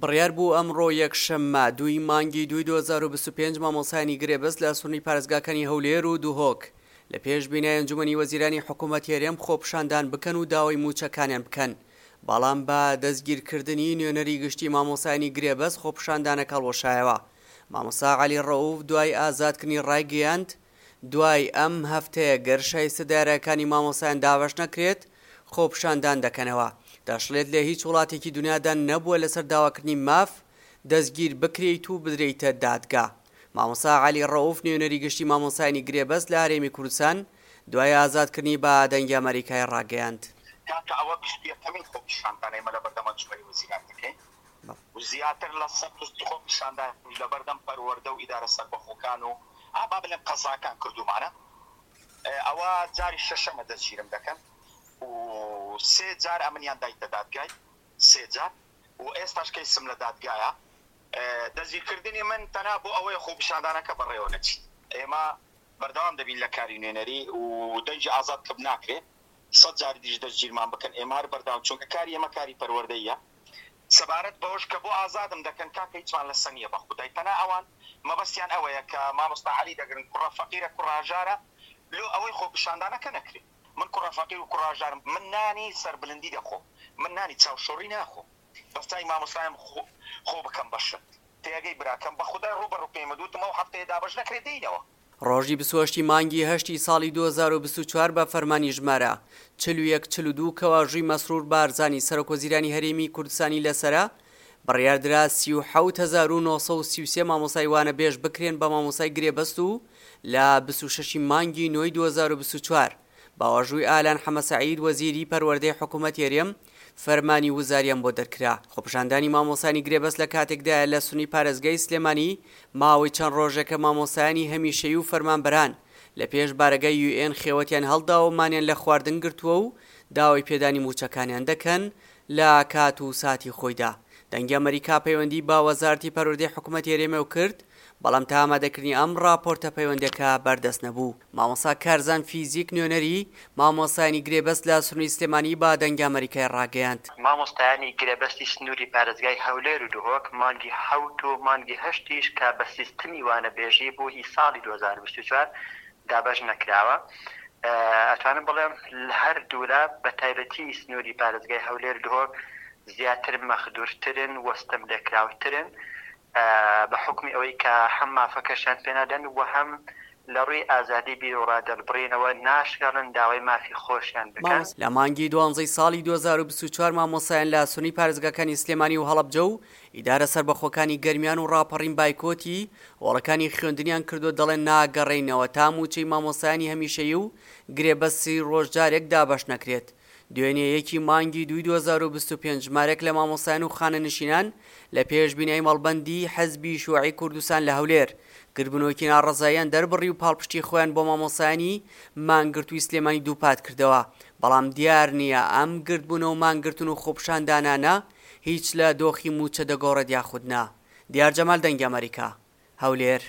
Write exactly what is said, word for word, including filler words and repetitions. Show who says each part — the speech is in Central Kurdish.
Speaker 1: بڕیار بوو ئەمڕۆ یەکشەممە دووی مانگی دووی دوو هەزار و بیست و پێنج مامۆستایانی گرێبەست لە سنووری پارێزگاکانی هەولێر و دهۆک لە پێش بینای ئەنجومەنی وەزیرانی حکوومەتی هەرێم خۆپیشاندان بکەن و داوای مووچەکانیان بکەن، بەڵام بە دەستگیرکردنی نوێنەری گشتی مامۆستایانی گرێبەست خۆپیشاندانەکە هەڵوەشایەوە. مامۆستا عەلی ڕەئوف دوای ئازادکردنی ڕایگەیاند، دوای ئەم هەفتەیە گەر شایستە دارایەکانی مامۆستایان دابەش نەکرێت خۆپیشاندان دەکەنەوە. دەشڵێت لە هیچ وڵاتێکی دنیادا نەبووە لەسەر داواکردنی ماف دەستگیر بکرێیت و بدرێیتە دادگا. مامۆستا عەلی ڕەئوف نوێنەری گشتی مامۆستایانی گرێبەست لە هەرێمی کوردستان دوای ئازادکردنی بە دەنگی ئەمەریکای ڕاگەیاند.
Speaker 2: کاکە ئەوە بیست و یەکەمین خۆپیشاندانە ئێمە لەبەردەم ئەنجومەنی وەزیران دەکەین و زیاتر لە سەد و سی خۆپیشاندانیش لەبەردەم پەروەردە و ئیدارە سەربەخۆکان و ئا با بڵێم قەزاکان کردوومانە. ئەوە جاری شەشەمە دەستگیرم دەکەن و سێ جار ئەمنیان دایتە دادگای سێ جار و ئێستاش کەیسم لە دادگایە. دەستگیرکردنی من تەنها بۆ ئەوەیە خۆپیشاندانەکە بەڕێوە نەچیت. ئێمە بەردەوام دەبین لە کاری نوێنەری و دەنگی ئازاد کپ ناکرێت، سەد جاری دیش دەستگیرمان بکەن ئێمە هەر بەردەوام، چونکە کاری ئێمە کاری پەروەردەیە. سەبارەت بەوەش کە بۆ ئازادم دەکەن کاکە هیچمان لەسەر نییە بە خودای، تەنها ئەوان مەبەستیان ئەوەیە کە مامۆستا عەلی دەگرن کوڕە فەقیرە کوڕە هەژارە لۆ ئەوەی خۆپیشاندانەکە نەکرێت. من کوڕە فەقیر و کوڕە هەژارم، من نانی سەربلندی دەخۆم، من نانی چاوشۆڕی ناخۆم، بەس تای مامۆستایم خۆ بکەم بە شت. تێگەی براکەم بە خودای ڕوو بە ڕوو پێمت وتم ئەو هەفتەیە دابەش نەکرێت دێینەوە.
Speaker 1: ڕۆژی بیست و هەشت ی مانگی هەشتی ساڵی دوو هەزار و بیست و چوار بە فەرمانی ژمارە چل و یەک چل و دوو کە واژووی مەسرور بارزانی سەرۆکوەزیرانی هەرێمی کوردستانی لەسەرە، بڕیاردرا سی و حەوت هەزار و نۆ سەد و سی و سێ مامۆستای وانەبێژ بکرێن بە مامۆستای گرێبەست و لە بیست و شەش ی مانگی نۆی دوو هەزار و بیست و چوار بە واژووی ئالان حەمەسەعید وەزیری پەروەردەی حکوومەتی هەرێم فەرمانی وزاریان بۆ دەرکرا. خۆپیشاندانی مامۆستایانی گرێبەست لە کاتێکدایە لە سنووری پارێزگای سلێمانی ماوەی چەند ڕۆژێکە مامۆستایانی هەمیشەیی و فەرمانبەران لە پێش بارەگای یو ئێن خێوەتیان هەڵداوە و مانیان لە خواردن گرتووە و داوای پێدانی مووچەکانیان دەکەن لە کات و ساتی خۆیدا. دەنگی ئەمەریکا پەیوەندی بە وەزارەتی پەروەردەی حکوومەتی هەرێمەوە کرد، بەڵام تا ئامادەکردنی ئەم ڕاپۆرتە پەیوەندەکە بەردەست نەبوو. مامۆستا کارزان فیزیک نوێنەری مامۆستایانی گرێبەست لە سنووری سلێمانی بە دەنگی ئەمەریکای ڕاگەیاند.
Speaker 3: مامۆستایانی گرێبەستی سنووری پارێزگای هەولێر و دهۆک مانگی حەوت و مانگی هەشتیش کە بە سیستمی وانەبێژی بوو هی ساڵی دوو هەزار و بیست و چوار دابەش نەکراوە. ئەتوانم بڵێم لە هەر دوولا بە تایبەتی سنووری پارێزگای هەولێر و دهۆک زیاتر مەخدورترن و ستەملێکراوترن بە حوکمی ئەوەی کە هەم مافەکەشیان پێ نادەن و هەم لە ڕووی ئازادی بیروڕا دەربڕینەوە ناشهێڵن داوای مافی خۆشیان بکەن.
Speaker 1: لە مانگی دوانزەی ساڵی دوو هەزار و بیست و چوار مامۆستایان لە سنووری پارێزگاکانی سلێمانی و هەڵەبجە و ئیدارە سەربەخۆکانی گەرمیان و ڕاپەڕین بایکۆتی هۆڵەکانی خوێندنیان کردووە، دەڵێن ناگەڕێینەوە تا مووچەی مامۆستایانی هەمیشەیی و گرێبەست سی ڕۆژ جارێک دابەش نەکرێت. دوێنێ یەکی مانگی دووی دوو هەزار و بیست و پێنج ژمارەیەک لە مامۆستایان و خانەنشینان لە پێش بینای مەڵبەندی حزبی شیوعی کوردستان لە هەولێر گردبوونەوەیەکی ناڕەزاییان دەربڕی و پاڵپشتی خۆیان بۆ مامۆستایانی مانگرتووی سلێمانی دووپات کردەوە، بەڵام دیار نییە ئەم گردبوونەوە و مانگرتن و خۆپیشاندانانە هیچ لە دۆخی مووچە دەگۆڕێت یاخود نا. دیار جەمال، دەنگی ئەمەریکا، هەولێر.